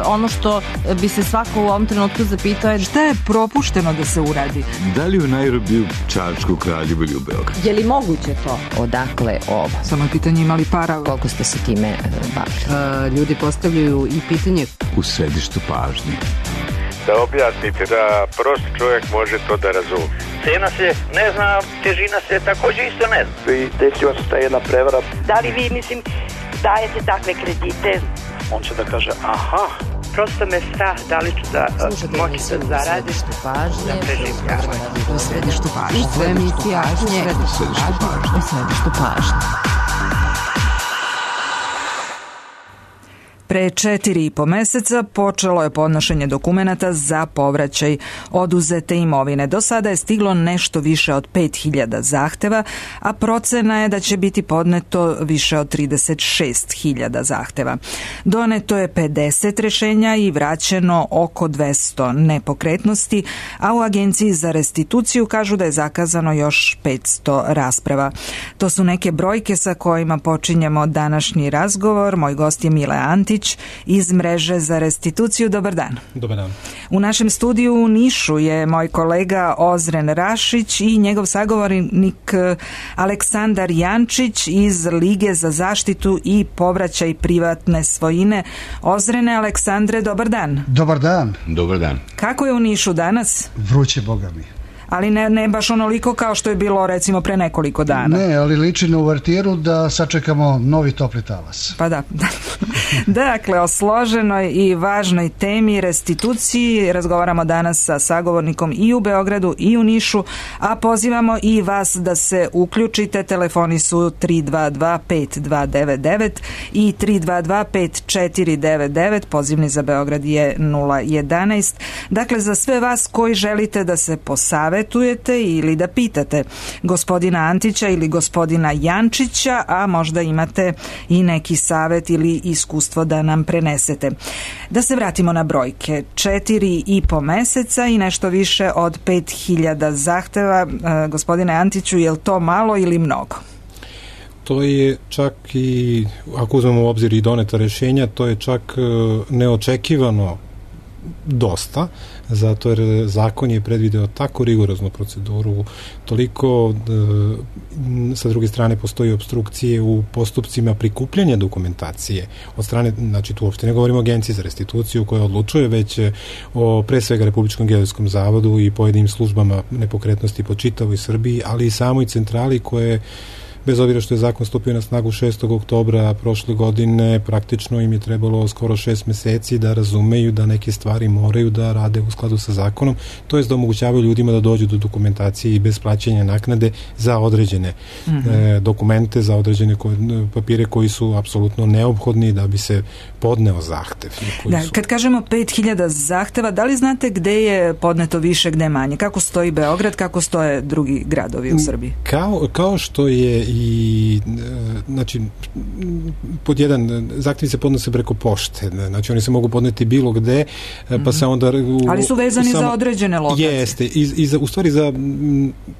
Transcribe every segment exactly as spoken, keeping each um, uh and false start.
ono što bi se svako u ovom trenutku zapitao je šta je propušteno da se uradi. Da li u Nairobiju, Čačku, Kraljevu ili u Beogradu? Je li moguće to? Odakle ovo? Samo je pitanje imali para. Koliko ste se time bavili? Ljudi postavljaju i pitanje u središtu pažnje. Da objasnite, da prost čovjek može to da razume. Cena se ne zna, težina se takođe isto ne zna. I desila se ta jedna prevara. Da li vi, mislim, dajete takve kredite? On će da kaže, aha, prosto me strah da li ću da moći da zaradim. U središtu pažnje. U središtu pažnje. U središtu pažnje. U središtu pažnje. Pre četiri i po meseca počelo je podnošenje dokumenata za povraćaj oduzete imovine. Do sada je stiglo nešto više od pet hiljada zahteva, a procena je da će biti podneto više od trideset šest hiljada zahteva. Doneto je pedeset rešenja i vraćeno oko dvesta nepokretnosti, a u Agenciji za restituciju kažu da je zakazano još petsto rasprava. To su neke brojke sa kojima počinjemo današnji razgovor. Moj gost je Mile Antić iz Mreže za restituciju. Dobar dan. Dobar dan. U našem studiju u Nišu je moj kolega Ozren Rašić i njegov sagovornik Aleksandar Jančić iz Lige za zaštitu i povraćaj privatne svojine. Ozrene, Aleksandre, dobar dan. Dobar dan. Dobar dan. Kako je u Nišu danas? Vruće, boga mi. Ali ne, ne baš onoliko kao što je bilo recimo pre nekoliko dana. Ne, ali liči na uvertiru da sačekamo novi topli talas. Pa da. Dakle, o složenoj i važnoj temi restituciji razgovaramo danas sa sagovornikom i u Beogradu i u Nišu, a pozivamo i vas da se uključite. Telefoni su tri dva dva pet dva devet devet i tri dva dva pet četiri devet devet, pozivni za Beograd je nula jedanaest. Dakle, za sve vas koji želite da se posavetujete ili da pitate gospodina Antića ili gospodina Jančića, a možda imate i neki savet ili iskustvo da nam prenesete. Da se vratimo na brojke. Četiri i po meseca i nešto više od pet hiljada zahteva. E, gospodine Antiću, je li to malo ili mnogo? To je čak i, ako uzmemo u obzir i doneta rešenja, to je čak neočekivano dosta, zato jer zakon je predvideo tako rigoroznu proceduru, toliko e, sa druge strane postoji obstrukcije u postupcima prikupljanja dokumentacije od strane, znači tu uopšte ne govorimo o Agenciji za restituciju koja odlučuje, već o pre svega Republičkom geodetskom zavodu i pojedinim službama nepokretnosti po čitavoj Srbiji, ali i samoj centrali koje, bez obzira što je zakon stupio na snagu šestog oktobra prošle godine, praktično im je trebalo skoro šest meseci da razumeju da neke stvari moraju da rade u skladu sa zakonom, to jest da omogućavaju ljudima da dođu do dokumentacije i bez plaćanja naknade za određene mm-hmm. e, dokumente, za određene ko, papire koji su apsolutno neophodni da bi se podneo zahtev. Da, su... Kad kažemo pet hiljada zahteva, da li znate gde je podneto više, gde manje? Kako stoji Beograd, kako stoje drugi gradovi u Srbiji? Kao, kao što je i znači pod jedan zahtjevi se podnose preko pošte, znači oni se mogu podneti bilo gde, pa se onda u, ali su vezani samo, za određene lokacije. Jeste, i, i za, u stvari za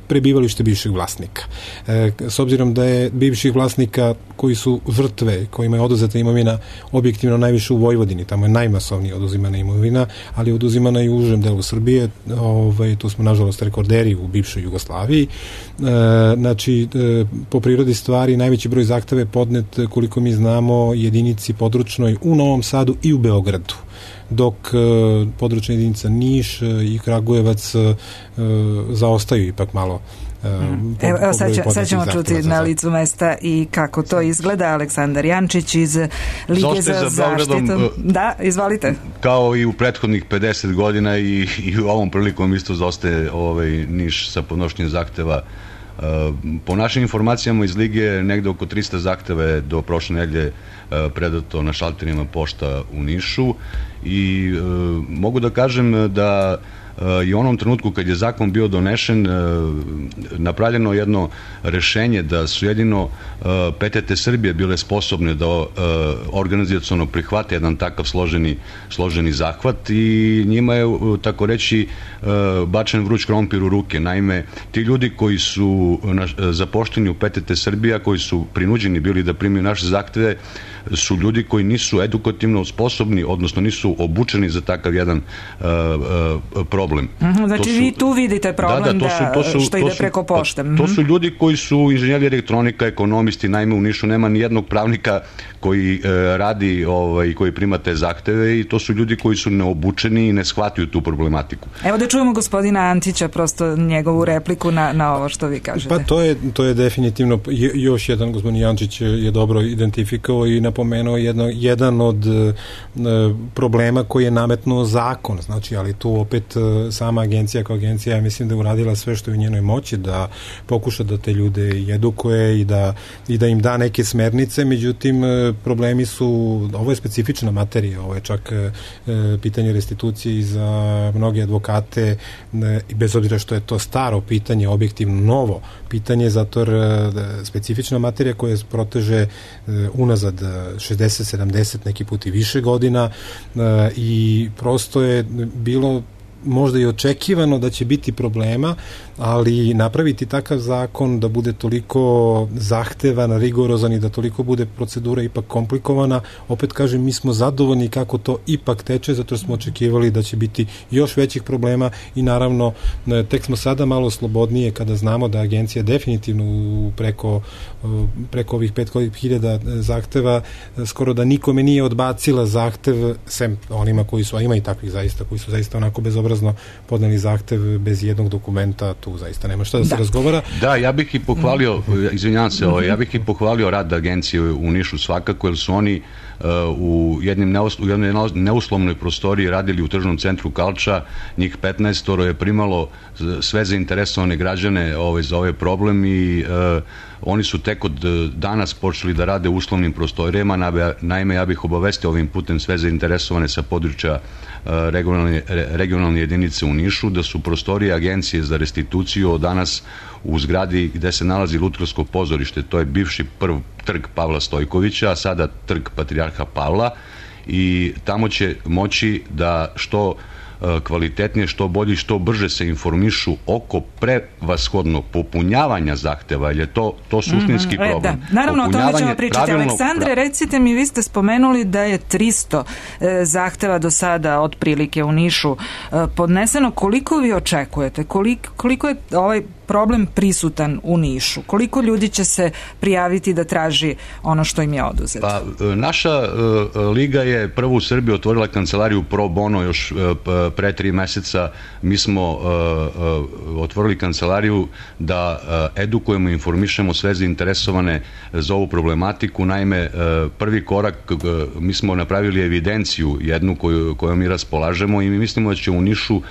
prebivalište bivšeg vlasnika. E, s obzirom da je bivših vlasnika koji su žrtve, kojima je oduzeta imovina objektivno najviše u Vojvodini, tamo je najmasovnije oduzimana imovina, ali je oduzimana i u užem delu Srbije, ovaj, tu smo nažalost rekorderi u bivšoj Jugoslaviji. E, znači, e, po prirodi stvari najveći broj zahteva je podnet, koliko mi znamo, jedinici područnoj u Novom Sadu i u Beogradu, dok e, područna jedinica Niš e, i Kragujevac e, zaostaju ipak malo. Hmm. Evo, evo sad, će, sad ćemo čuti na licu mesta i kako to izgleda. Aleksandar Jančić iz Lige za, za zaštitu. Da, izvolite. Kao i u prethodnih pedeset godina i, i u ovom prilikom isto zaostaje ovaj Niš sa podnošenjem zahteva. Po našim informacijama iz Lige negde oko trista zahteva je do prošle nedelje predato na šalterima pošta u Nišu i e, mogu da kažem da i u onom trenutku kad je zakon bio donešen napravljeno jedno rešenje da su jedino P T T Srbije bile sposobne da organizaciono prihvate jedan takav složeni, složeni zahvat i njima je, tako reći, bačen vruć krompir u ruke. Naime, ti ljudi koji su zapošteni u P T T Srbija, koji su prinuđeni bili da primiju naše zahteve, su ljudi koji nisu edukativno sposobni, odnosno nisu obučeni za takav jedan uh, uh, problem. Mm-hmm, znači su, vi tu vidite problem da, da, to su, to su, što ide to su, preko pošte. Mm-hmm. To su ljudi koji su inženjeri elektronika, ekonomisti, naime u Nišu nema ni jednog pravnika koji uh, radi ovaj, i koji prima te zahteve i to su ljudi koji su neobučeni i ne shvataju tu problematiku. Evo da čujemo gospodina Antića, prosto njegovu repliku na, na ovo što vi kažete. Pa to je, to je definitivno još jedan, gospodin Antić je dobro identifikao i napomenuo jedno, jedan od e, problema koji je nametnuo zakon, znači, ali tu opet e, sama agencija kao agencija, ja mislim da je uradila sve što je u njenoj moći da pokuša da te ljude i edukuje i da, i da im da neke smernice, međutim e, problemi su, ovo je specifična materija, ovo je čak e, pitanje restitucije i za mnoge advokate e, i bez obzira što je to staro pitanje, objektivno novo pitanje, zato jer e, specifična materija koja se proteže e, unazad šezdeset sedamdeset neki put i više godina e, i prosto je bilo možda i očekivano da će biti problema, ali napraviti takav zakon da bude toliko zahtevan, rigorozan i da toliko bude procedura ipak komplikovana, opet kažem, mi smo zadovoljni kako to ipak teče, zato smo očekivali da će biti još većih problema i naravno tek smo sada malo slobodnije kada znamo da agencija definitivno preko, preko ovih pet hiljada zahteva skoro da nikome nije odbacila zahtev, sem onima koji su, a ima i takvih zaista, koji su zaista onako bezobrazno podneli zahtev bez jednog dokumenta, tu zaista nema šta da, da se razgovara. Da, ja bih i pohvalio, izvinjavam se, mm-hmm. ja bih i pohvalio rad agencije u Nišu svakako, jer su oni uh, u, jednim neus, u jednoj neuslovnoj prostoriji radili u tržnom centru Kalča, njih petnaestoro je primalo sve zainteresovane građane ovaj, za ovaj problem i uh, oni su tek od danas počeli da rade u uslovnim prostorijama, naime ja bih obavestio ovim putem sve zainteresovane sa područja regionalne, regionalne jedinice u Nišu, da su prostorije agencije za restituciju od danas u zgradi gde se nalazi Lutkarsko pozorište, to je bivši prv trg Pavla Stojkovića, a sada trg Patrijarha Pavla i tamo će moći da što kvalitetnije, što bolje i što brže se informišu oko prevashodno popunjavanja zahteva, jer je to, to suštinski mm-hmm. problem. Da. Naravno, o tome ćemo pričati. Aleksandre, pra... recite mi, vi ste spomenuli da je tristo e, zahteva do sada otprilike u Nišu e, podneseno. Koliko vi očekujete? Koliko, koliko je ovaj problem prisutan u Nišu? Koliko ljudi će se prijaviti da traži ono što im je oduzeto? Pa, naša uh, liga je prvo u Srbiji otvorila kancelariju Pro Bono još uh, pre tri meseca. Mi smo uh, uh, otvorili kancelariju da uh, edukujemo i informišemo sve zainteresovane za ovu problematiku. Naime, uh, prvi korak, uh, mi smo napravili evidenciju jednu koju, koju mi raspolažemo i mi mislimo da će u Nišu uh,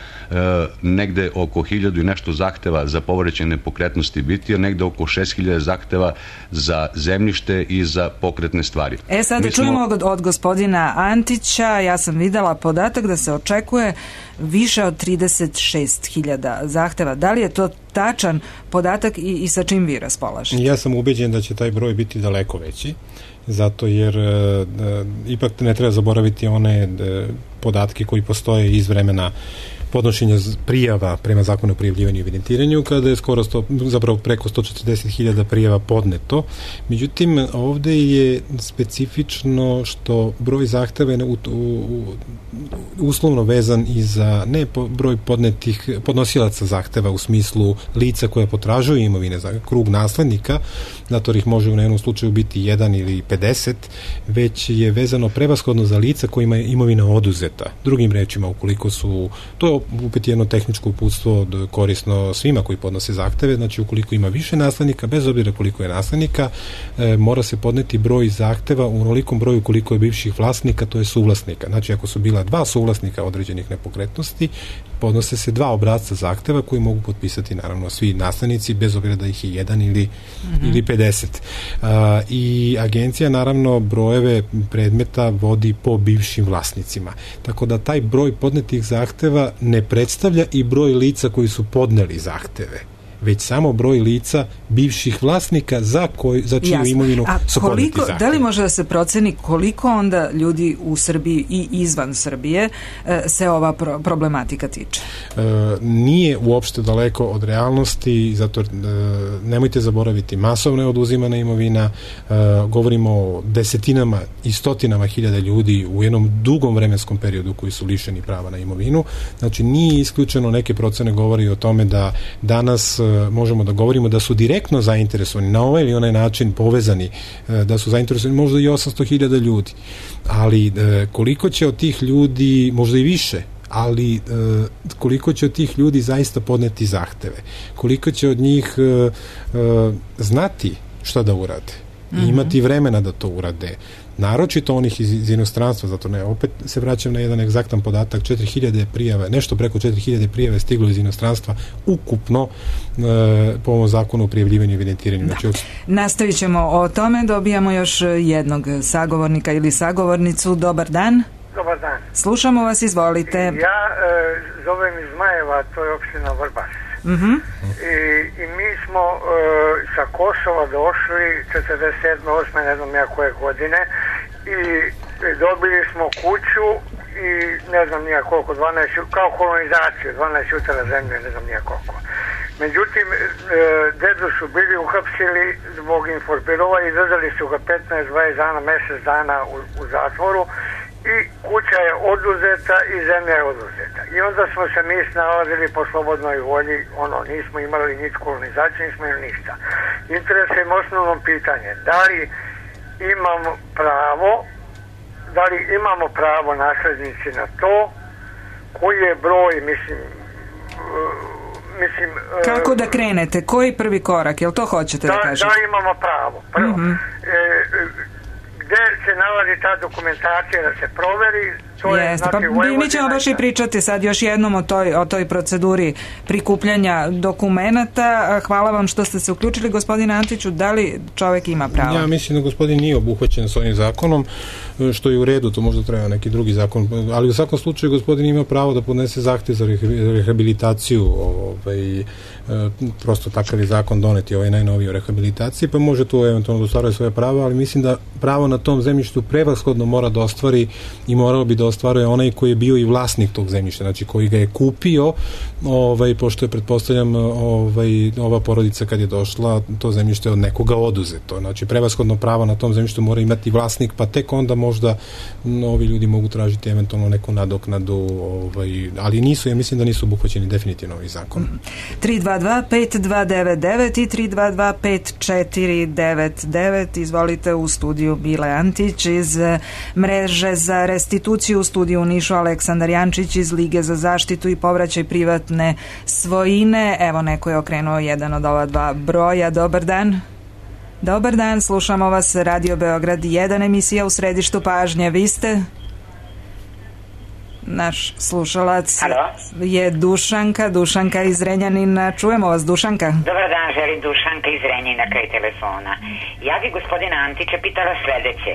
negde oko hiljadu i nešto zahteva za povraćaj nepokretnosti biti, jer negde oko šest hiljada zahteva za zemljište i za pokretne stvari. E sad da smo... čujemo od, od gospodina Antića, ja sam videla podatak da se očekuje više od trideset šest hiljada zahteva. Da li je to tačan podatak i, i sa čim vi raspolažete? Ja sam ubeđen da će taj broj biti daleko veći, zato jer e, ipak ne treba zaboraviti one e, podatke koji postoje iz vremena podnošenja prijava prema zakonu o prijavljivanju i evidentiranju, kada je skoro sto, zapravo preko sto četrdeset hiljada prijava podneto. Međutim, ovde je specifično što broj zahteva je u, u, uslovno vezan i za ne po, broj podnetih podnosilaca zahteva u smislu lica koja potražuju imovine, za krug naslednika, zato ih može u jednom slučaju biti jedan ili pedeset, već je vezano prevashodno za lica kojima je imovina oduzeta. Drugim rečima, ukoliko su, to je opet jedno tehničko uputstvo korisno svima koji podnose zahteve, znači ukoliko ima više naslednika, bez obzira koliko je naslednika, e, mora se podneti broj zahteva u onolikom broju koliko je bivših vlasnika, to je suvlasnika. Znači ako su bila dva suvlasnika određenih nepokretnosti, podnose se dva obrasca zahteva koji mogu potpisati naravno svi naslednici, bez obzira da ih je jedan ili, mm-hmm. ili pedeset. Uh, I agencija naravno brojeve predmeta vodi po bivšim vlasnicima. Tako da taj broj podnetih zahteva ne predstavlja i broj lica koji su podneli zahteve, već samo broj lica bivših vlasnika za, koj, za čiju Jasne. imovinu su podneti zahtjevi. Da li može da se proceni koliko onda ljudi u Srbiji i izvan Srbije e, se ova pro, problematika tiče? E, nije uopšte daleko od realnosti, zato e, nemojte zaboraviti, masovno je oduzimana imovina, e, govorimo o desetinama i stotinama hiljada ljudi u jednom dugom vremenskom periodu koji su lišeni prava na imovinu. Znači nije isključeno, neke procene govori o tome da danas možemo da govorimo da su direktno zainteresovani na ovaj ili onaj način povezani, da su zainteresovani možda i osamsto hiljada ljudi, ali koliko će od tih ljudi, možda i više, ali koliko će od tih ljudi zaista podneti zahteve, koliko će od njih znati šta da urade i imati vremena da to urade, naročito onih iz, iz inostranstva, zato ne, opet se vraćam na jedan egzaktan podatak, četiri hiljade prijave, nešto preko četiri hiljade prijave stiglo iz inostranstva ukupno e, po ovom zakonu o prijavljivanju i evidentiranju. Da. Znači, od... Nastavit ćemo o tome, dobijamo još jednog sagovornika ili sagovornicu. Dobar dan. Dobar dan. Slušamo vas, izvolite. Ja e, zovem iz Zmajeva, to je opština Vrbas. Mm-hmm. I, i mi smo e, sa Kosova došli četrdeset sedme osme ne znam ja koje godine i dobili smo kuću i ne znam nija koliko, dvanaest, kao kolonizaciju, dvanaest jutara zemlje, ne znam nija koliko. Međutim, e, dedu su bili uhapsili zbog informirova i držali su ga petnaest dvadeset dana, mjesec dana u, u zatvoru i kuća je oduzeta i zemlja je oduzeta. I onda smo se mi snalazili po slobodnoj volji, ono, nismo imali nič kolonizaciju, nismo imali ništa. Interesuje me osnovno pitanje, da li imamo pravo, da li imamo pravo naslednici na to, koji je broj, mislim, uh, mislim... Uh, Kako da krenete? Koji prvi korak? Jel to hoćete da, da kažete? Da imamo pravo. Prvo, mm-hmm. e, gde se nalazi ta dokumentacija da se proveri, to je, Jeste, znači, pa mi ćemo baš i pričati sad još jednom o toj, o toj proceduri prikupljanja dokumenata. Hvala vam što ste se uključili, gospodine Antiću. Da li čovek ima pravo? Ja mislim da gospodin nije obuhvaćen s ovim zakonom, što je u redu, to možda treba neki drugi zakon, ali u svakom slučaju gospodin ima pravo da podnese zahtev za rehabilitaciju, ovaj, prosto takav je zakon doneti, ovaj najnoviji o rehabilitaciji, pa može tu eventualno da ostvaruje svoje pravo, ali mislim da pravo na tom zemljištu prevashodno mora da ostvari i morao bi da ostvaruje onaj koji je bio i vlasnik tog zemljišta, znači koji ga je kupio, ovaj, pošto je, pretpostavljam, ovaj, ova porodica kad je došla, to zemljište od nekoga oduzeto, znači prevashodno pravo na tom zemljištu mora imati vlasnik, pa tek onda možda ovi ljudi mogu tražiti eventualno neku nadoknadu, ovaj, ali nisu, ja mislim da nisu obuhvaćeni definitivno ovaj zakon. tri dva dva pet dva devet devet i tri dva dva pet četiri devet devet. Izvolite, u studiju Bile Antić, iz mreže za restituciju u studiju u Nišu Aleksandar Jančić, iz Lige za zaštitu i povraćaj privatne svojine. Evo, neko je okrenuo jedan od ova dva broja. Dobar dan. Dobar dan, slušamo vas, Radio Beograd jedan, emisija u središtu pažnje. Vi ste? Naš slušalac Halo? je Dušanka, Dušanka iz Renjanina. Čujemo vas, Dušanka. Dobar dan, želim Dušanka iz Renjanina kraj telefona. Ja bi gospodina Antića pitala sledeće.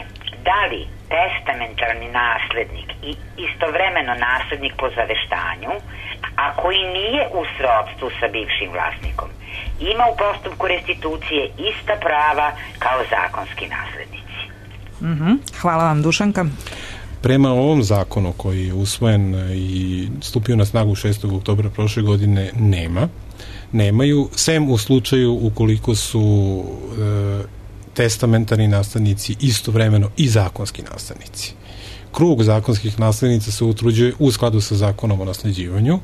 Da li testamentarni naslednik i istovremeno naslednik po zaveštanju, a koji nije u srodstvu sa bivšim vlasnikom, ima u postupku restitucije ista prava kao zakonski naslednici? Mm-hmm. Hvala vam, Dušanka. Prema ovom zakonu koji je usvojen i stupio na snagu šestog oktobra prošle godine, nema. Nemaju, sem u slučaju ukoliko su e, testamentarni naslednici istovremeno i zakonski naslednici. Krug zakonskih naslednica se utvrđuje u skladu sa zakonom o nasleđivanju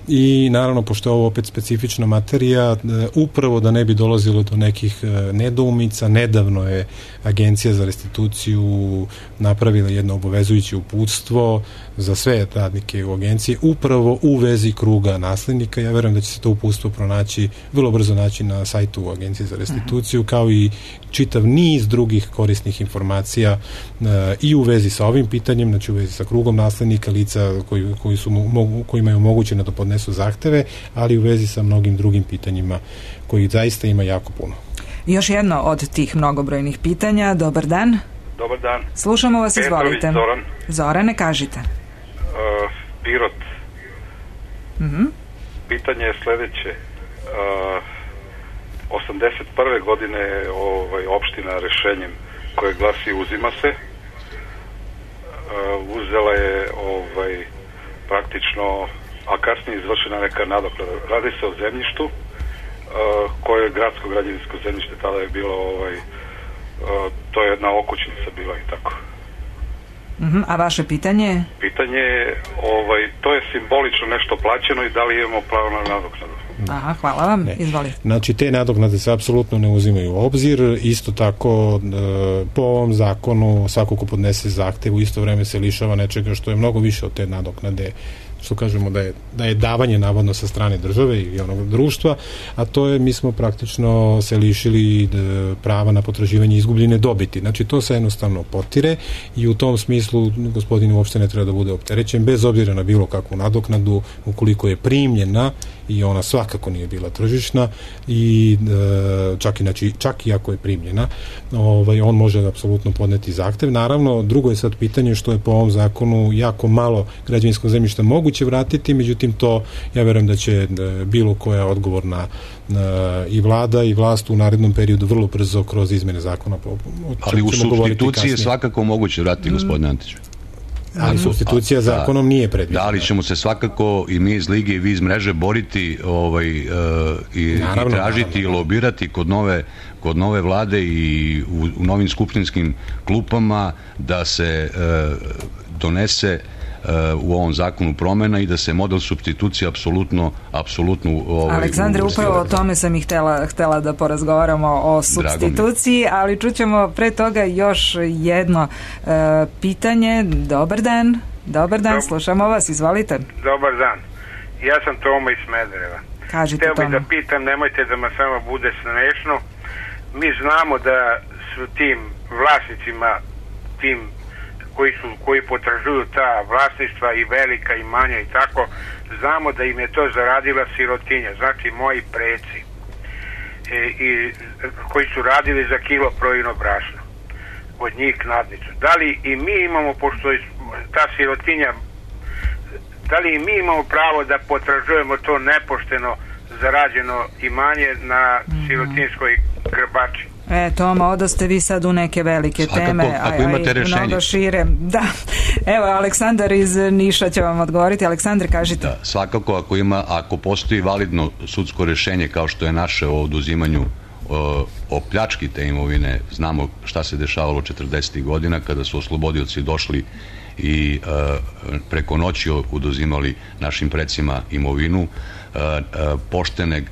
i naravno, pošto je ovo opet specifična materija, upravo da ne bi dolazilo do nekih nedoumica, nedavno je Agencija za restituciju napravila jedno obavezujuće uputstvo za sve radnike u agenciji, upravo u vezi kruga naslednika. Ja verujem da će se to uputstvo pronaći, vrlo brzo naći na sajtu Agencije za restituciju, kao i čitav niz drugih korisnih informacija uh, i u vezi sa ovim pitanjem, znači u vezi sa krugom naslednika, lica koji, koji su, mogu, kojima je omogućeno da podnesu zahteve, ali u vezi sa mnogim drugim pitanjima koji zaista ima jako puno. Još jedno od tih mnogobrojnih pitanja. Dobar dan. Dobar dan. Slušamo vas, Petrović, izvolite. Zoran. Zorane, kažite. Uh, Pirot. Mhm. Pitanje je sledeće. Uh, osamdeset prve godine ovaj, opština rešenjem koje glasi uzima se, uh, uzela je ovaj, praktično, a kasnije izvršena neka nadoknada. Radi se o zemljištu uh, koje je gradsko građevinsko zemljište, tada je bilo ovaj, uh, to je jedna okućnica bila i tako. Uh-huh. A vaše pitanje? Pitanje je, ovaj, to je simbolično nešto plaćeno i da li imamo pravo na nadoknadu? Aha, hvala vam. Izvolite. Znači, te nadoknade se apsolutno ne uzimaju u obzir. Isto tako, po ovom zakonu, svako ko podnese zahtev u isto vreme se lišava nečega što je mnogo više od te nadoknade, što kažemo da je, da je davanje navodno sa strane države i onog društva, a to je, mi smo praktično se lišili prava na potraživanje izgubljene dobiti. Znači, to se jednostavno potire i u tom smislu gospodin uopšte ne treba da bude opterećen, bez obzira na bilo kakvu nadoknadu, ukoliko je primljena, i ona svakako nije bila tržišna, i čak i, znači, čak i ako je primljena, ovaj, on može apsolutno podneti zahtev. Naravno, drugo je sad pitanje što je po ovom zakonu jako malo građevinskog zemljišta moguće vratiti, međutim to, ja verujem da će bilo koja odgovorna i vlada i vlast u narednom periodu vrlo brzo kroz izmene zakona. Ali u supstituciji je svakako moguće vratiti, mm. gospodine Antiću. Ali supstitucija a, zakonom nije predviđena. Da, ali ćemo se svakako i mi iz Lige i vi iz mreže boriti ovaj, uh, i, naravno, i tražiti naravno. i lobirati kod nove, kod nove vlade i u, u novim skupštinskim klupama da se uh, donese u ovom zakonu promena i da se model supstitucije apsolutno apsolutno ovaj, Aleksandre, upravo o tome sam i htela, htela da porazgovaramo o supstituciji, ali čućemo pre toga još jedno uh, pitanje. Dobar dan. Dobar dan, Dob... slušamo vas, izvolite. Dobar dan. Ja sam Toma iz Smedereva. Kažite, Hteo Toma. bih da pitam, nemojte da me samo bude smešno. Mi znamo da su tim vlasnicima, tim koji su, koji potražuju ta vlasništva i velika i manja i tako, znamo da im je to zaradila sirotinja, znači moji preci, e, i, koji su radili za kilo projino brašna od njih nadnicu. Da li i mi imamo, pošto je ta sirotinja, da li i mi imamo pravo da potražujemo to nepošteno zarađeno imanje na sirotinskoj grbači? E, Toma, odaste vi sad u neke velike svakako, teme, ako imate rešenje. Mnogo šire. Da. Evo, Aleksandar iz Niša će vam odgovoriti. Aleksandre, kažite. Da, svakako, ako ima, ako postoji validno sudsko rešenje kao što je naše o oduzimanju o, o pljački te imovine, znamo šta se dešavalo četrdesetih godina kada su oslobodioci došli i e, preko noći oduzimali našim precima imovinu, e, e, poštene e,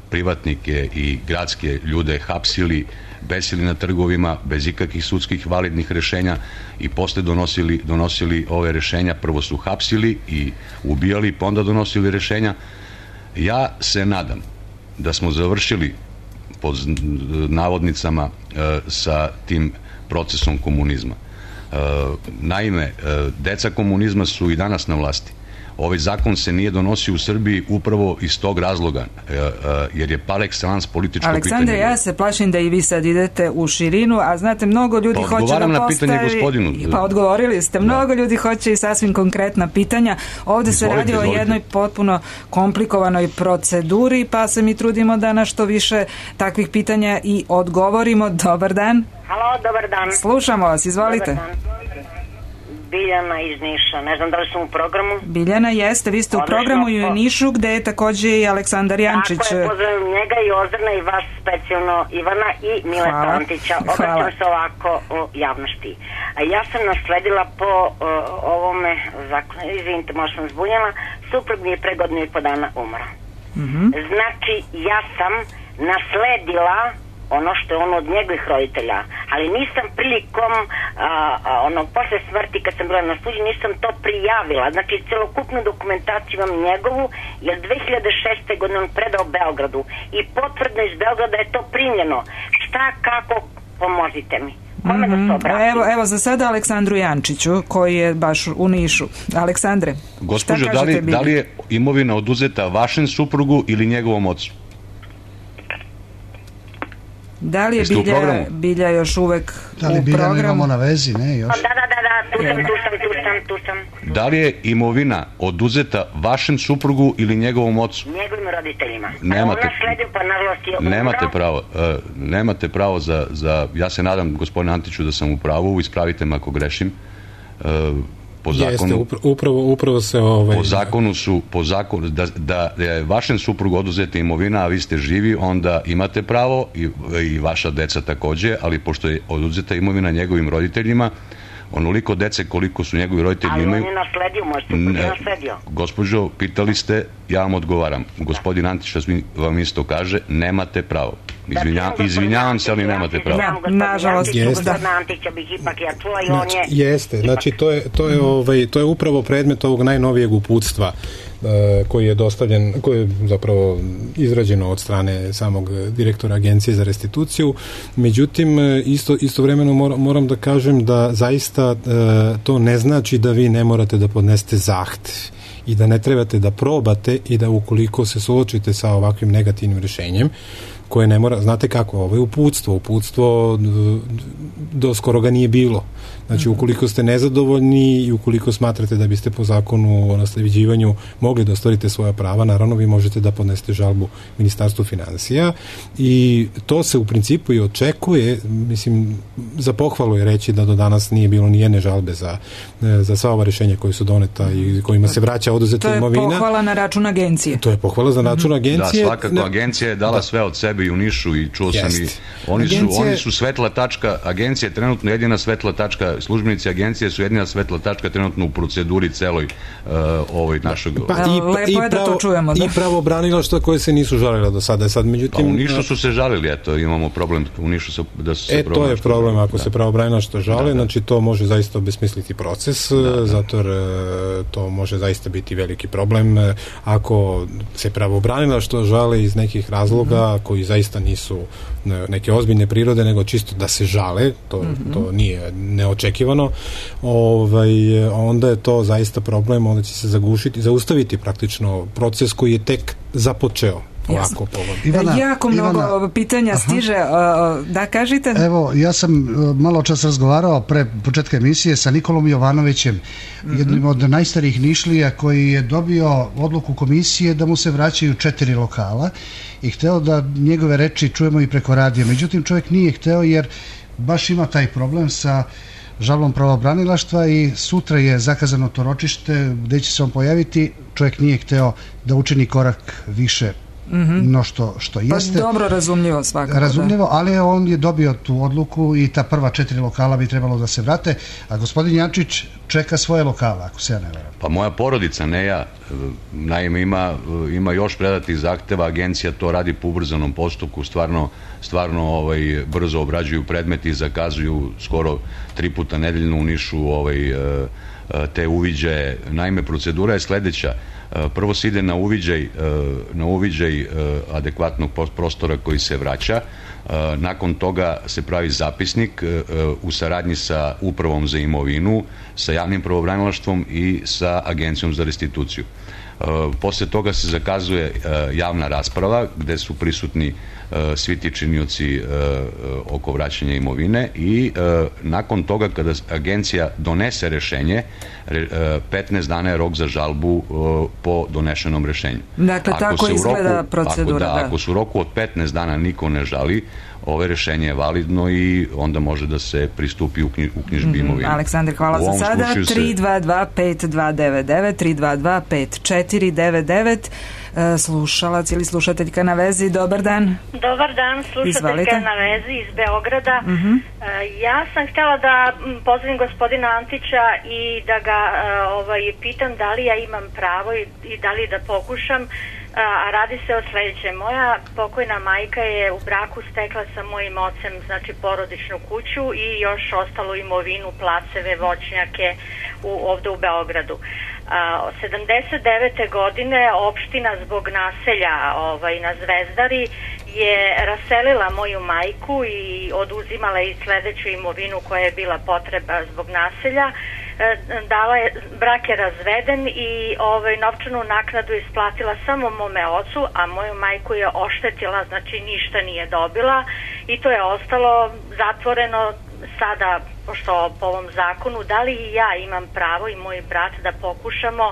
privatnike i gradske ljude hapsili, besili na trgovima bez ikakvih sudskih validnih rešenja i posle donosili, donosili ove rešenja. Prvo su hapsili i ubijali, pa onda donosili rešenja. Ja se nadam da smo završili pod navodnicama e, sa tim procesom komunizma. Naime, deca komunizma su i danas na vlasti. Ovaj zakon se nije donosio u Srbiji upravo iz tog razloga, jer je par excellence političko Aleksandre, pitanje. Aleksandre, ja se plašim da i vi sad idete u širinu, a znate, mnogo ljudi pa hoće da na postavi... Pa odgovorili ste, mnogo da. ljudi hoće i sasvim konkretna pitanja. Ovde se izvolite, radi o izvolite. jednoj potpuno komplikovanoj proceduri, pa se mi trudimo da na što više takvih pitanja i odgovorimo. Dobar dan. Halo, dobar dan. Slušamo vas, izvolite. Dobar dan. Biljana iz Niša. Ne znam da li sam u programu. Biljana jeste, vi ste u Odlično, programu i u po... Nišu, gde je takođe i Aleksandar Jančić. Tako je, pozdravim njega i Ozrna i vas specijalno, Ivana i Mileta Antića. Obraćam se ovako u javnosti. Ja sam nasledila po uh, ovome zakonu, izvinite, možda sam zbunjala, suprug mi je pre godinu i po dana umra. Mm-hmm. Znači, ja sam nasledila ono što je ono od njegovih roditelja, ali nisam prilikom a, a, onog posle smrti kad sam bila na suđenju nisam to prijavila, znači celokupnu dokumentaciju imam njegovu, jer dve hiljade šeste. godine on predao Beogradu i potvrdno iz Beograda je to primljeno. Šta, kako, pomozite mi. Kome da se obratim? Evo, evo za sada Aleksandru Jančiću, koji je baš u Nišu. Aleksandre, gospođo, da li, da li je imovina oduzeta vašem suprugu ili njegovom ocu? Da li je Bilja, Bilja još uvek u programu? Da li Bilja imamo na vezi, ne još? Da, da, da, da, tu sam, tu sam, tu sam, tu sam. Da li je imovina oduzeta vašem suprugu ili njegovom ocu? Njegovim roditeljima. Nemate, ona sledim, pa nažalost je umro. Nemate pravo, uh, nemate pravo za, za, ja se nadam, gospodine Antiću, da sam u pravu, ispravite me ako grešim. Uh, po zakonu, Jeste, upravo, upravo se ovaj... po zakonu su, po zakonu, da, da je vašem suprugu oduzeta imovina, a vi ste živi, onda imate pravo i, i vaša deca takođe, ali pošto je oduzeta imovina njegovim roditeljima, onoliko dece koliko su njegovi roditelji ali imaju... Ali on je nasledio, moj suprug je nasledio. Gospođo, pitali ste, ja vam odgovaram. Gospodin Antić vam isto kaže, nemate pravo. Izvinja, izvinjavam se, ali nemate pravo. Da, nažalost, jeste. Antića bih ipak ja čula i on je... Jeste, znači to je, to je, ovaj, to je upravo predmet ovog najnovijeg uputstva koji je dostavljen, koji je zapravo izrađeno od strane samog direktora Agencije za restituciju. Međutim, isto, istovremeno moram, moram da kažem da zaista to ne znači da vi ne morate da podnesete zahtev i da ne trebate da probate i da ukoliko se suočite sa ovakvim negativnim rješenjem, koje ne mora, znate kako, ovo je uputstvo, uputstvo do skoro ga nije bilo. Znači, ukoliko ste nezadovoljni i ukoliko smatrate da biste po zakonu o nasleđivanju mogli da ostvarite svoja prava, naravno vi možete da podnesete žalbu Ministarstvu finansija i to se u principu i očekuje, mislim, za pohvalu je reći da do danas nije bilo ni jedne žalbe za, za sva ova rješenja koje su doneta i kojima se vraća oduzeta imovina. To je pohvala na račun agencije. To je pohvala za račun agencije. Da, svakako, agencija je dala da. sve od sebe i u Nišu i čuo Jest. sam i oni su, Agencije... oni su svetla tačka, agencija je trenutno jedina svetla tačka, službenici agencije su jedina svetla tačka trenutno u proceduri celoj uh, ovoj našoj... Pa, i, lepo i je da to čujemo. Da. I pravobranilaštva koje se nisu žalile do sada. Sad, međutim, pa u Nišu su se žalili, eto, imamo problem u Nišu su, da su se E, to je problem, ako da. se pravobranilaštvo žale, da, da. znači to može zaista obesmisliti proces, da, da. zato jer to može zaista biti veliki problem. Ako se pravobranilaštvo žale iz nekih razloga mm-hmm. koji zaista nisu neke ozbiljne prirode, nego čisto da se žale, to, mm-hmm. to nije neočekivano, ovaj, onda je to zaista problem, onda će se zagušiti, zaustaviti praktično proces koji je tek započeo. Ovako, Ivana, jako mnogo Ivana, pitanja aha. stiže, da kažite? Evo, ja sam malo čas razgovarao pre početka emisije sa Nikolom Jovanovićem, mm-hmm. jednim od najstarijih Nišlija koji je dobio odluku komisije da mu se vraćaju četiri lokala i hteo da njegove reči čujemo i preko radija. Međutim, čovjek nije hteo jer baš ima taj problem sa žalbom pravobranilaštva i sutra je zakazano to ročište gde će se on pojaviti. Čovjek nije hteo da učini korak više Mm-hmm. no što, što jeste. Pa dobro razumljivo svakako. Razumljivo, da. ali on je dobio tu odluku i ta prva četiri lokala bi trebalo da se vrate, a gospodin Jančić čeka svoje lokala, ako se ja ne veram. Pa moja porodica, ne ja, naime ima, ima još predatih zahteva, agencija to radi po ubrzanom postupku, stvarno, stvarno ovaj, brzo obrađuju predmeti i zakazuju skoro tri puta nedeljno u Nišu ovaj, te uviđaje. Naime, procedura je sledeća. Prvo se ide na uviđaj, na uviđaj adekvatnog prostora koji se vraća, nakon toga se pravi zapisnik u saradnji sa upravom za imovinu, sa javnim pravobranilaštvom i sa agencijom za restituciju. Posle toga se zakazuje javna rasprava gde su prisutni svi ti činioci oko vraćanja imovine i nakon toga kada agencija donese rešenje, petnaest dana je rok za žalbu po donešenom rešenju. Dakle, tako izgleda procedura. Ako, da, ako su u roku od petnaest dana niko ne žali, ove rešenje je validno i onda može da se pristupi u, knji, u knjižbi imovine. Mm, Aleksandar, hvala za sada. tri dva dva pet dva devet devet, tri dva dva pet četiri devet devet. Slušalac ili slušateljka na vezi, dobar dan. Dobar dan, slušateljka Izvalite. Na vezi iz Beograda. Uh-huh. Ja sam htjela da pozdravim gospodina Antića i da ga ovaj, pitam da li ja imam pravo i, i da li da pokušam. A radi se o sljedećem. Moja pokojna majka je u braku stekla sa mojim ocem, znači porodičnu kuću i još ostalu imovinu, placeve, voćnjake u, ovdje u Beogradu. A, sedamdeset devete godine opština zbog naselja ovaj, na Zvezdari je raselila moju majku i oduzimala i sljedeću imovinu koja je bila potreba zbog naselja. Dala je, brak je razveden i ovaj, novčanu naknadu isplatila samo mome ocu, a moju majku je oštetila, znači ništa nije dobila i to je ostalo zatvoreno. Sada, pošto po ovom zakonu, da li i ja imam pravo i moj brat da pokušamo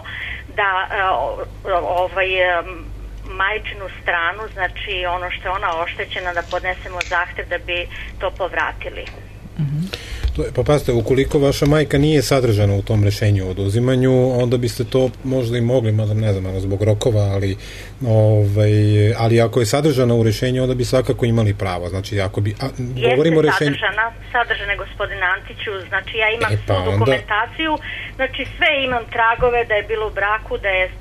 da ovaj, majčinu stranu, znači ono što je ona oštećena, da podnesemo zahtev da bi to povratili. Mhm. Pa pazite, ukoliko vaša majka nije sadržana u tom rešenju o oduzimanju, onda biste to možda i mogli, mada ne znam, zbog rokova, ali, ovaj, ali ako je sadržana u rešenju, onda bi svakako imali pravo. Znači, ako bi... A, govorimo o rešenju... sadržana, sadržana gospodine Antiću, znači ja imam e, pa svu dokumentaciju, onda... znači sve imam tragove da je bilo u braku, da je e,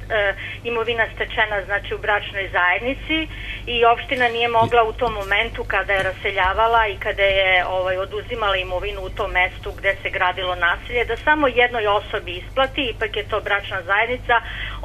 imovina stečena, znači u bračnoj zajednici i opština nije mogla u tom momentu kada je raseljavala i kada je ovaj, oduzimala imovinu u tom mestu gde se gradilo naselje, da samo jednoj osobi isplati, ipak je to bračna zajednica,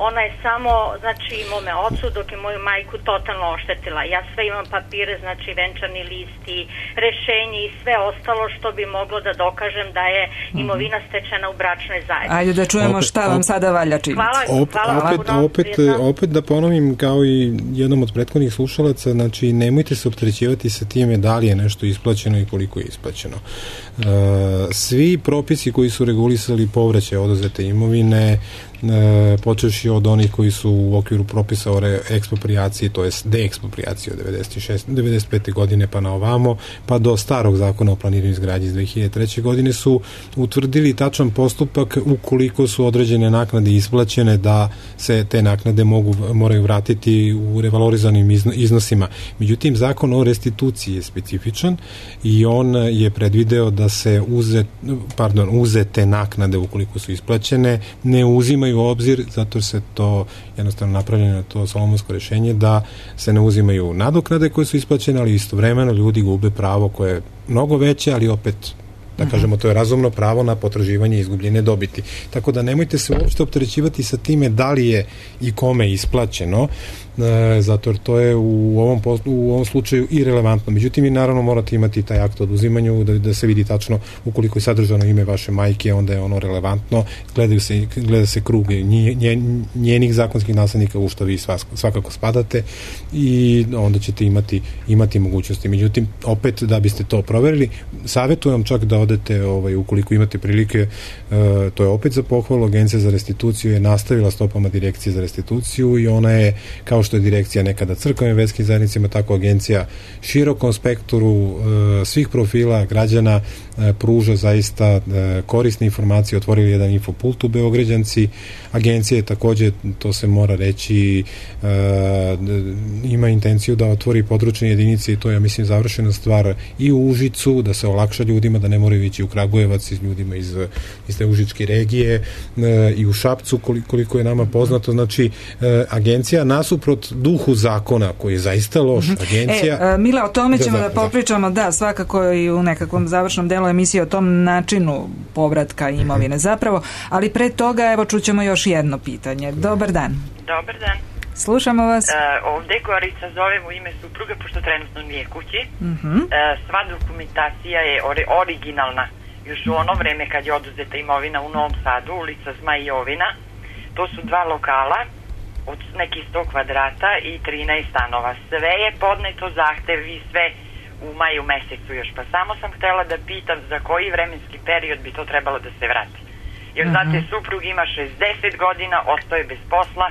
ona je samo, znači, mome ocu, dok je moju majku totalno oštetila. Ja sve imam papire, znači venčani listi, rešenje i sve ostalo što bi moglo da dokažem da je imovina stečena u bračnoj zajednici. Ajde da čujemo opet, šta vam opet, sada valja činiti. Hvala, Op, hvala opet, vam. opet, opet da ponovim, kao i jednom od prethodnih slušalaca, znači nemojte se opterećivati sa time da li je nešto isplaćeno i koliko je isplaćeno. Uh, svi propisi koji su regulisali povraćaj oduzete imovine, e, počevši od onih koji su u okviru propisa o eksproprijaciji, to je deeksproprijaciji od devedeset šeste, devedeset pete godine pa na ovamo, pa do starog zakona o planiranju izgradnje iz dve hiljade treće. godine su utvrdili tačan postupak ukoliko su određene naknade isplaćene, da se te naknade mogu, moraju vratiti u revalorizanim iznosima. Međutim, zakon o restituciji je specifičan i on je predvideo da se uze, pardon, uzete naknade ukoliko su isplaćene ne uzimaju u obzir, zato se to jednostavno napravljeno to solomonsko rešenje da se ne uzimaju nadoknade koje su isplaćene, ali istovremeno ljudi gube pravo koje je mnogo veće, ali opet da kažemo, to je razumno pravo na potraživanje izgubljene dobiti. Tako da nemojte se uopšte opterećivati sa time da li je i kome isplaćeno, e, zato jer to je u ovom, u ovom slučaju i relevantno. Međutim, vi naravno morate imati taj akt o oduzimanju da, da se vidi tačno ukoliko je sadržano ime vaše majke, onda je ono relevantno, gledaju se, gleda se krug njen, njenih zakonskih naslednika u što vi svakako spadate i onda ćete imati, imati mogućnosti. Međutim, opet da biste to proverili, savjetujem čak da odete, ovaj, ukoliko imate prilike, e, to je opet za pohvalu, Agencija za restituciju je nastavila stopama Direkcije za restituciju i ona je, kao što je direkcija nekada crkvenim verskim zajednicama, tako agencija širokom spektru e, svih profila građana e, pruža zaista e, korisne informacije, otvorili jedan infopult u Beograđanci. Agencija je takođe, to se mora reći, e, ima intenciju da otvori područne jedinice i to je, ja mislim, završena stvar i u Užicu, da se olakša ljudima, da ne moraju ići u Kragujevac iz ljudima iz, iz te užičke regije, e, i u Šapcu, koliko, koliko je nama poznato. Znači, e, agencija nasuprot duhu zakona, koji je zaista loš, agencija... E, Mila, o tome ćemo da, da popričamo, da, svakako i u nekakvom završnom delu emisije o tom načinu povratka imovine zapravo, ali pre toga, evo, čućemo još jedno pitanje. Dobar dan. Dobar dan. Slušamo vas. E, ovde Gorica zovem u ime supruga, pošto trenutno nije kući. Uh-huh. E, sva dokumentacija je ori- originalna. Još u ono vreme kad je oduzeta imovina u Novom Sadu, ulica Zmajovina, to su dva lokala od nekih sto kvadrata i trinaest stanova. Sve je podneto zahtev i sve u maju mesecu još. Pa samo sam htela da pitam za koji vremenski period bi to trebalo da se vrati. Jer, uh-huh, znate, suprug ima šezdeset godina, ostao je bez posla.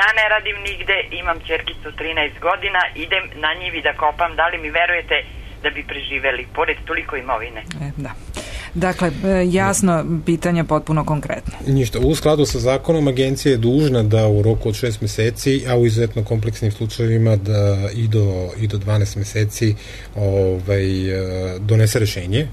Ja ne radim nigde, imam ćerkicu trinaest godina, idem na njivi da kopam, da li mi verujete da bi preživeli, pored toliko imovine. E, da. Dakle, jasno, pitanje potpuno konkretno. Ništa, u skladu sa zakonom agencija je dužna da u roku od šest meseci, a u izuzetno kompleksnim slučajevima da i do, i do dvanaest meseci ovaj, donese rešenje,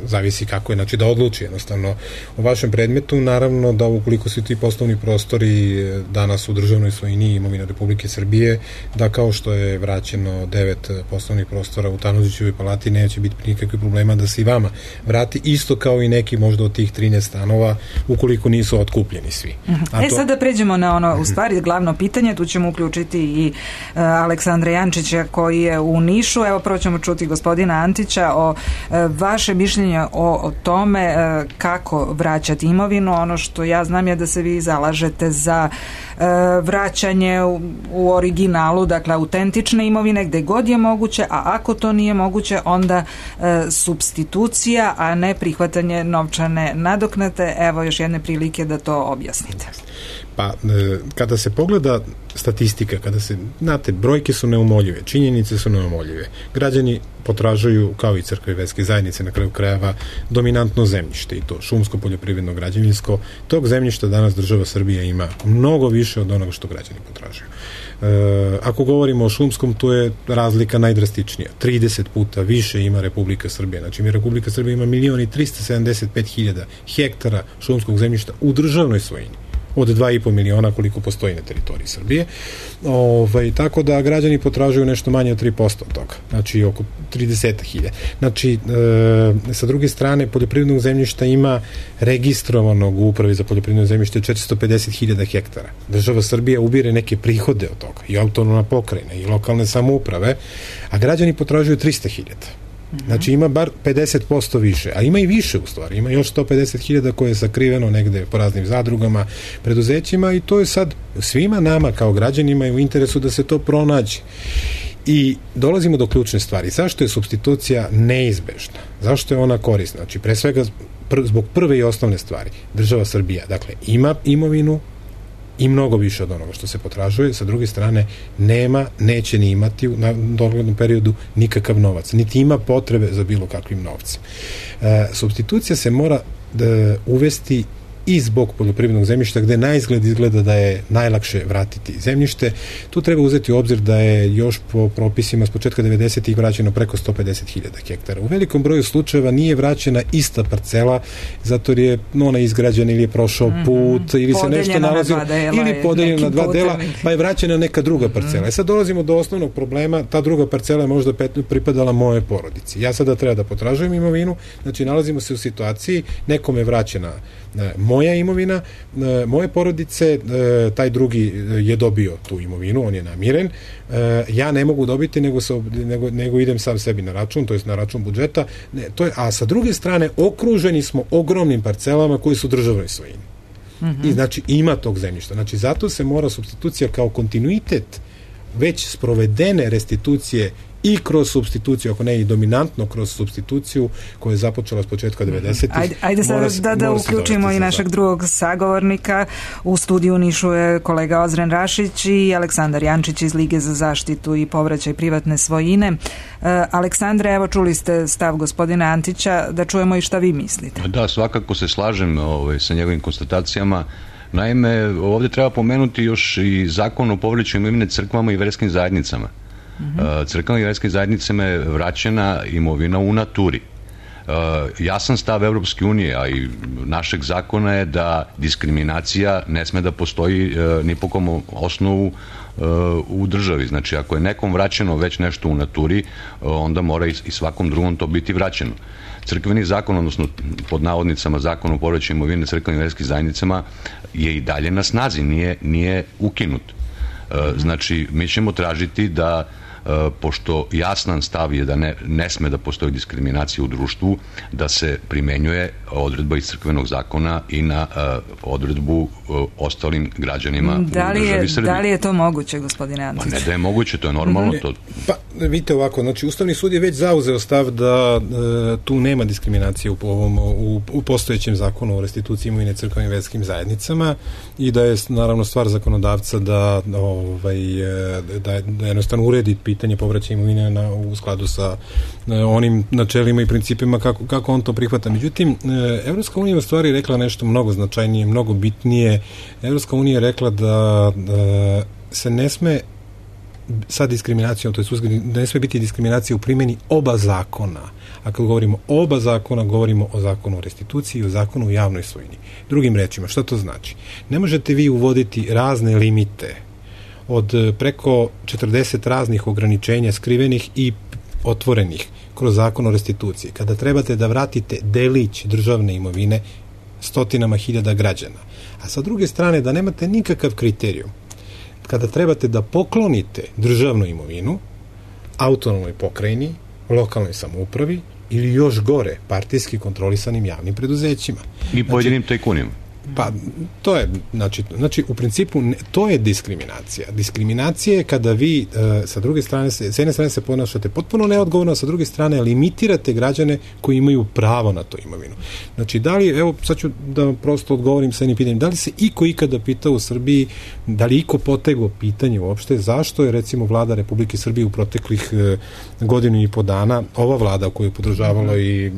zavisi kako je, znači da odluči jednostavno o vašem predmetu, naravno da ukoliko su ti poslovni prostori danas u državnoj svojini imovina Republike Srbije, da kao što je vraćeno devet poslovnih prostora u Tanožićevoj palati, neće biti nikakvih problema da se i vama vrati, isto kao i neki možda od tih trinaest stanova, ukoliko nisu otkupljeni svi. A e to... sad da pređemo na ono, u stvari, glavno pitanje, tu ćemo uključiti i uh, Aleksandra Jančića koji je u Nišu. Evo, prvo ćemo čuti gospodina Antića o uh, vaše mišljenje o, o tome uh, kako vraćati imovinu. Ono što ja znam je da se vi zalažete za uh, vraćanje u, u originalu, dakle autentične imovine gde god je moguće, a ako to nije moguće, onda uh, supstitucija, a ne prihvatanje novčane nadoknade. Evo još jedne prilike da to objasnite. Pa, kada se pogleda statistika, kada se, znate, brojke su neumoljive, činjenice su neumoljive. Građani potražuju, kao i crkve i verske zajednice, na kraju krajeva, dominantno zemljište, i to šumsko, poljoprivredno, građevinsko. Tog zemljišta danas država Srbija ima mnogo više od onoga što građani potražuju. E, ako govorimo o šumskom, tu je razlika najdrastičnija. trideset puta više ima Republika Srbija. Znači, mi Republika Srbija ima milion i trista sedamdeset pet hiljada hektara šumskog zemljišta u državnoj svojini, od dva i po miliona koliko postoji na teritoriji Srbije. Ovaj, tako da građani potražuju nešto manje od tri posto od toga. Znači oko trideset hiljada. Znači, e, sa druge strane, poljoprivrednog zemljišta ima registrovanog u Upravi za poljoprivredno zemljište četiristo pedeset hiljada hektara. Država Srbija ubire neke prihode od toga, i autonomna pokrajina, i lokalne samouprave, a građani potražuju trista hiljada. Znači ima bar pedeset posto više, a ima i više u stvari, ima još sto pedeset hiljada koje je sakriveno negde po raznim zadrugama, preduzećima, i to je sad svima nama kao građanima je u interesu da se to pronađe. I dolazimo do ključne stvari. Zašto je supstitucija neizbežna? Zašto je ona korisna? Znači, pre svega pr- zbog prve i osnovne stvari. Država Srbija, dakle, ima imovinu i mnogo više od onoga što se potražuje, sa druge strane nema, neće ni imati u doglednom periodu nikakav novac, niti ima potrebe za bilo kakvim novcem. E, supstitucija se mora da uvesti i zbog poljoprivrednog zemljišta, gde na izgled izgleda da je najlakše vratiti zemljište. Tu treba uzeti u obzir da je još po propisima s početka devedesetih vraćeno preko sto pedeset hiljada hektara. U velikom broju slučajeva nije vraćena ista parcela, zato je ona izgrađena ili je prošao mm-hmm. put, ili se nešto nalazilo, ili podeljena na dva dela, pa je vraćena neka druga parcela. Mm-hmm. E sad dolazimo do osnovnog problema, ta druga parcela je možda pripadala moje porodici. Ja sada treba da potražujem imovinu, znači nalazimo se u situaciji, nekome je vraćena moja imovina, moje porodice, taj drugi je dobio tu imovinu, on je namiren, ja ne mogu dobiti, nego, se, nego, nego idem sam sebi na račun, to je na račun budžeta, ne, to je, a sa druge strane okruženi smo ogromnim parcelama koji su državnoj svojini. Mm-hmm. I znači ima tog zemljišta. Znači zato se mora supstitucija kao kontinuitet već sprovedene restitucije i kroz supstituciju, ako ne i dominantno kroz supstituciju koja je započela s početka devedesetih. Ajde, ajde sad da, da uključimo i našeg drugog sagovornika. U studiju u Nišu je kolega Ozren Rašić i Aleksandar Jančić iz Lige za zaštitu i povraćaj privatne svojine. Uh, Aleksandre, evo čuli ste stav gospodina Antića, da čujemo i šta vi mislite. Da, svakako se slažem ovaj, sa njegovim konstatacijama. Naime, ovdje treba pomenuti još i zakon o povraćaju imovine crkvama i verskim zajednicama. Mm-hmm. Crkvama i verskim zajednicama je vraćena imovina u naturi. Jasan stav Evropske unije, a i našeg zakona je da diskriminacija ne sme da postoji ni po kom osnovu u državi. Znači, ako je nekom vraćeno već nešto u naturi, onda mora i svakom drugom to biti vraćeno. Crkveni zakon, odnosno pod navodnicama zakon o povraćaju imovine crkvenim i verskim zajednicama je i dalje na snazi, nije, nije ukinut. Znači, mi ćemo tražiti da pošto jasan stav je da ne, ne sme da postoji diskriminacija u društvu, da se primenjuje odredba iz crkvenog zakona i na uh, odredbu uh, ostalim građanima da li u državi je, Srbije. Da li je to moguće, gospodine Antić? Pa ne da je moguće, to je normalno. To... Pa vidite ovako, znači Ustavni sud je već zauzeo stav da uh, tu nema diskriminacije u, ovom, u, u postojećem zakonu o restituciji imovine crkvenim i verskim zajednicama i da je naravno stvar zakonodavca da, ovaj, da, da jednostavno uredi pitanje povraćaja imovine na, u skladu sa e, onim načelima i principima kako, kako on to prihvata. Međutim, e, Evropska unija u stvari rekla nešto mnogo značajnije, mnogo bitnije. Evropska unija je rekla da e, se ne sme sa diskriminacijom, to je da ne sme biti diskriminacija u primjeni oba zakona. A kad govorimo o oba zakona, govorimo o zakonu o restituciji i o zakonu o javnoj svojini. Drugim rečima, šta to znači? Ne možete vi uvoditi razne limite od preko četrdeset raznih ograničenja skrivenih i otvorenih kroz zakon o restituciji. Kada trebate da vratite delić državne imovine stotinama hiljada građana. A sa druge strane, da nemate nikakav kriterijum kada trebate da poklonite državnu imovinu autonomnoj pokrajini, lokalnoj samoupravi ili još gore, partijski kontrolisanim javnim preduzećima. I pojedinim tajkunima. Pa, to je, znači, znači u principu, ne, to je diskriminacija. Diskriminacija je kada vi, e, sa druge strane, se, s jedne strane se ponašate potpuno neodgovorno, a sa druge strane limitirate građane koji imaju pravo na to imovinu. Znači, da li, evo, sad ću da prosto odgovorim sa jednim pitanjem, da li se iko ikada pitao u Srbiji, da li iko potegao pitanje uopšte, zašto je, recimo, vlada Republike Srbije u proteklih e, godinu i po dana, ova vlada koju je podržavala i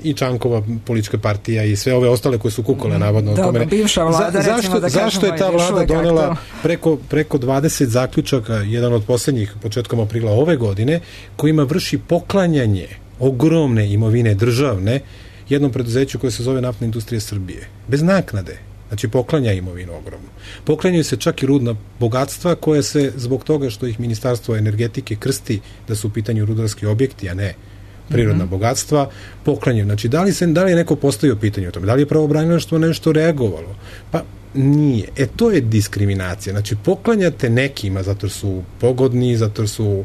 i Čankova politička partija i sve ove ostale koje su kukole navodno Dobro, tome. Bivša vlada, Za, recimo, zašto, da zašto je ta vlada donela preko, preko dvadeset zaključaka, jedan od posljednjih početkom aprila ove godine, kojima vrši poklanjanje ogromne imovine državne jednom preduzeću koje se zove Naftna industrija Srbije. Bez naknade. Znači poklanja imovinu ogromnu. Poklanjaju se čak i rudna bogatstva koje se zbog toga što ih Ministarstvo energetike krsti da su u pitanju rudarski objekti, a ne prirodna mm-hmm. bogatstva, poklanjaju. Znači, da li, se, da li je neko postavio pitanje o tome? Da li je pravobranilaštvo nešto reagovalo? Pa nije. E, to je diskriminacija. Znači, poklanjate nekima zato su pogodni, zato su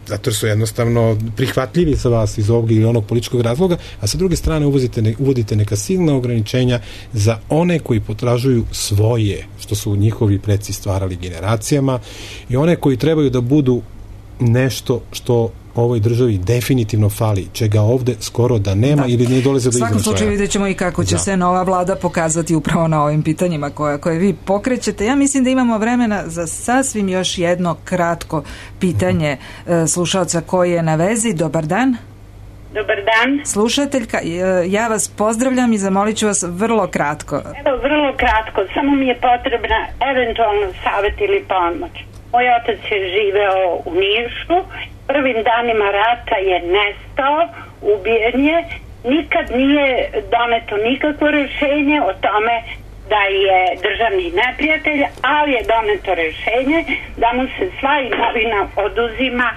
zato su jednostavno prihvatljivi sa vas iz ovog ili onog političkog razloga, a sa druge strane uvozite ne, uvodite neka silna ograničenja za one koji potražuju svoje, što su njihovi preci stvarali generacijama, i one koji trebaju da budu nešto što ovoj državi definitivno fali, čega ovde skoro da nema da. Ili ne dolaze do izražaja. U svakom slučaju vidjet ćemo i kako će da. se nova vlada pokazati upravo na ovim pitanjima koje, koje vi pokrećete. Ja mislim da imamo vremena za sasvim još jedno kratko pitanje uh-huh. slušalca koji je na vezi. Dobar dan. Dobar dan. Slušateljka, ja vas pozdravljam i zamolit ću vas vrlo kratko. Evo, vrlo kratko. Samo mi je potrebna eventualno savjet ili pomoć. Moj otac je živeo u Nišu, prvim danima rata je nestao, ubijen je, nikad nije doneto nikakvo rješenje o tome da je državni neprijatelj, ali je doneto rješenje da mu se sva imovina oduzima,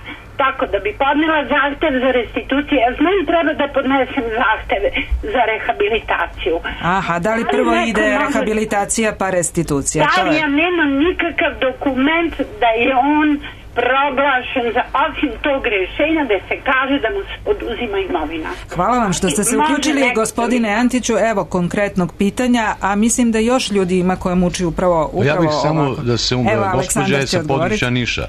tako da bi podnela zahtev za restituciju. Ja znam, treba da podnesem zahteve za rehabilitaciju. Aha, da li prvo ali ide može... rehabilitacija pa restitucija? Da li ja nemam nikakav dokument da je on proglašen za osim tog rješenja da se kaže da mu se oduzima imovina. Hvala vam što ste se uključili, gospodine Antiću. Evo konkretnog pitanja, a mislim da još ljudi ima koje muči upravo, upravo ja bih samo ovako. Da se umre, gospođa je sa područja Niša.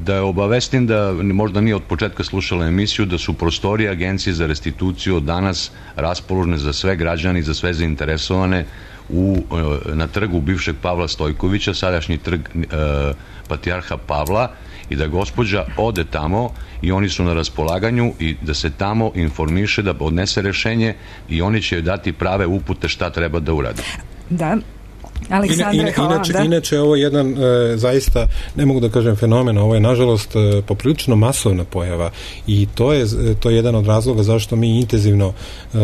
Da je obavestim da možda nije od početka slušala emisiju, da su prostorije Agencije za restituciju od danas raspoložene za sve građane i za sve zainteresovane u, na trgu bivšeg Pavla Stojkovića, sadašnji trg e, Patrijarha Pavla, i da gospođa ode tamo i oni su na raspolaganju i da se tamo informiše, da odnese rešenje i oni će joj dati prave upute šta treba da uradi. Da. Aleksandre, Ina, hvala, inače, da? inače ovo je jedan e, zaista, ne mogu da kažem fenomen, ovo je nažalost e, poprilično masovna pojava i to je, to je jedan od razloga zašto mi intenzivno e,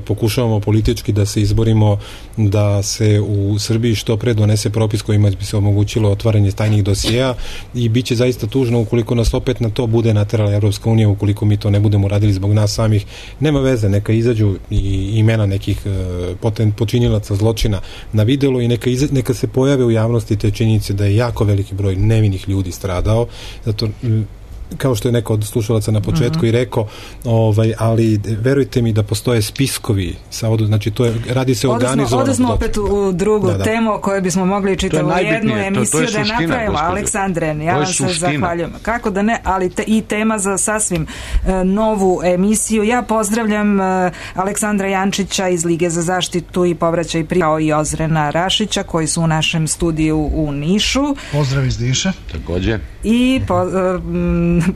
pokušavamo politički da se izborimo da se u Srbiji što pre donese propis kojima bi se omogućilo otvaranje tajnih dosijeja i bit će zaista tužno ukoliko nas opet na to bude naterala Evropska unija, ukoliko mi to ne budemo radili zbog nas samih. Nema veze, neka izađu i imena nekih e, poten, počinilaca zločina na videlu i neka Neka, neka se pojave u javnosti te činjenice da je jako veliki broj nevinih ljudi stradao, zato kao što je neko od slušalaca na početku mm-hmm. i rekao, ovaj, ali verujte mi da postoje spiskovi sa od, znači to je, radi se o organizovanom. Odnosno opet u drugu da, da. temu o kojoj bismo mogli čitati u jednu emisiju to, to da napravimo. Aleksandre, ja vam se zahvaljujem. Kako da ne, ali te, i tema za sasvim uh, novu emisiju. Ja pozdravljam uh, Aleksandra Jančića iz Lige za zaštitu i povraćaj pri kao i Ozrena Rašića koji su u našem studiju u Nišu. Pozdrav iz Niša. Takođe. I po, uh,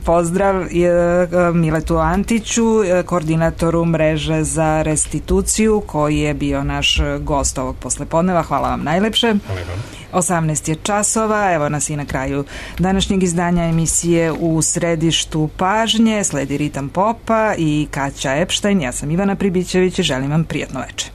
pozdrav uh, Miletu Antiću, koordinatoru mreže za restituciju, koji je bio naš gost ovog poslepodneva. Hvala vam najlepše. Hvala vam. osamnaest je časova, evo nas i na kraju današnjeg izdanja emisije U središtu pažnje. Sledi Ritam popa i Kaća Epštajn. Ja sam Ivana Pribićević i želim vam prijatno večer.